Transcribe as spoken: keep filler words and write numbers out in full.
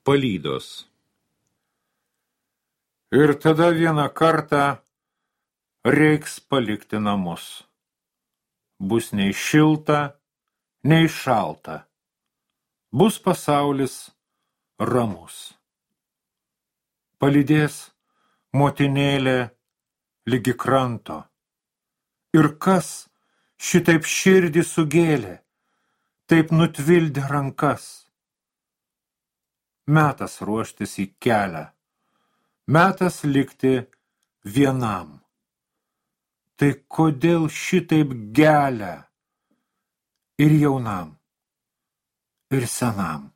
Palydos. Ir tada vieną kartą reiks palikti namus. Bus nei šilta, nei šalta. Bus pasaulis ramus. Palydės motinėlė ligi kranto. Ir kas šitaip širdį sugėlė, taip nutvildė rankas. Metas ruoštis į kelią, metas likti vienam. Tai kodėl šitaip gelia ir jaunam, ir senam?